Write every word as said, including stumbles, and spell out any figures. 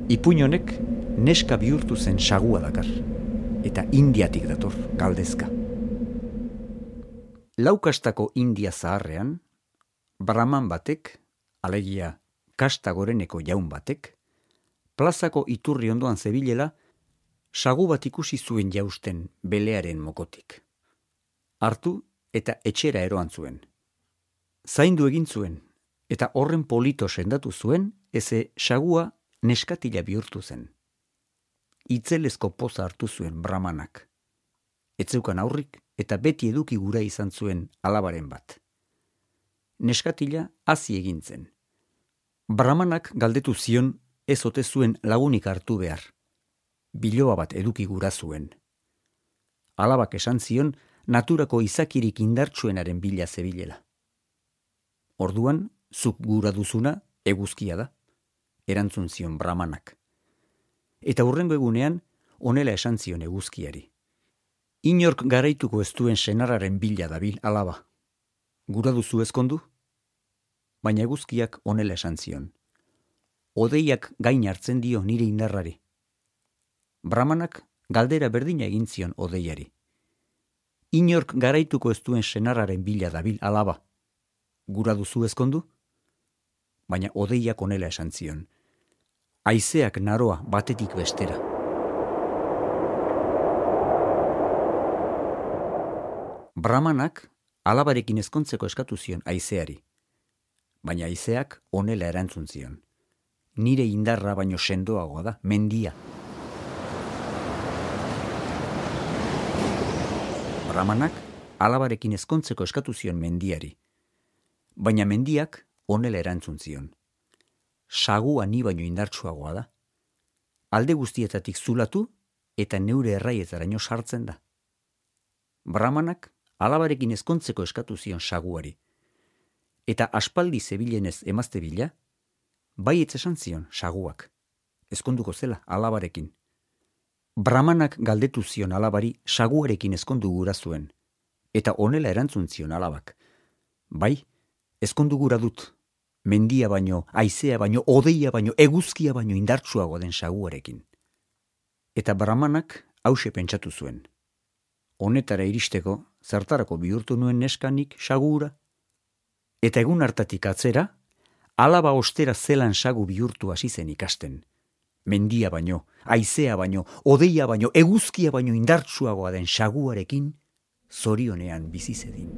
Ipuin honek neska bihurtu zen sagua dakar, eta Indiatik dator, galdezka. Laukastako India zaharrean, Brahman batek, alegia kasta goreneko jaun batek, plazako iturri ondoan zebilela, sagu bat ikusi zuen jausten belearen mokotik. Hartu eta etxera eroan zuen. Zaindu egin zuen, eta horren polito sendatu zuen, eze sagua neskatila bihurtu zen. Itzelezko poza hartu zuen Brahmanak. Etzeukan aurrik eta beti eduki gura izan zuen alabaren bat. Neskatila hazi egin zen. Brahmanak galdetu zion ez ote zuen lagunik hartu behar. Biloba bat eduki gura zuen. Alabak esan zion naturako izakirik indartsuenaren bila zebilela. Orduan, zuk gura duzuna eguzkia da, erantzun zion Brahmanak. Eta hurrengo egunean, honela esan zion eguzkiari. Inork garaituko ez duen senarraren bila dabil alaba. Gura duzu ezkondu? Baina eguzkiak honela esan zion. Odeiak gain hartzen dio nire indarrari. Brahmanak galdera berdina egin zion odeiari. Inork garaituko ez duen senarraren bila dabil alaba. Gura duzu ezkondu? Baina odeiak honela esan zion. Haizeak naroa batetik bestera. Brahmanak alabarekin ezkontzeko eskatu zion haizeari. Baina haizeak honela erantzun zion. Nire indarra baino sendoagoa da, mendia. Brahmanak alabarekin ezkontzeko eskatu zion mendiari. Baina mendiak honela erantzun zion. Sagua ni baino indartsuagoa da. Alde guztietatik zulatu eta neure erraietaraino sartzen da. Brahmanak alabarekin ezkontzeko eskatu zion saguari. Eta aspaldi zebilenez emazte bila, baietz esan zion saguak. Ezkonduko zela alabarekin. Brahmanak galdetu zion alabari saguarekin ezkondu gura zuen. Eta honela erantzun zion alabak. Bai, ezkondu gura dut. Mendia baino, haizea baino, odeia baino, eguzkia baino indartsuago den saguarekin. Eta Brahmanak hause pentsatu zuen. Honetara iristeko, zertarako bihurtu nuen neskanik sagura? Eta egun hartatik atzera, alaba ostera zelan sagu bihurtu hasi zen ikasten. Mendia baino, haizea baino, odeia baino, eguzkia baino indartsuagoa den saguarekin, zorionean bizi zedin.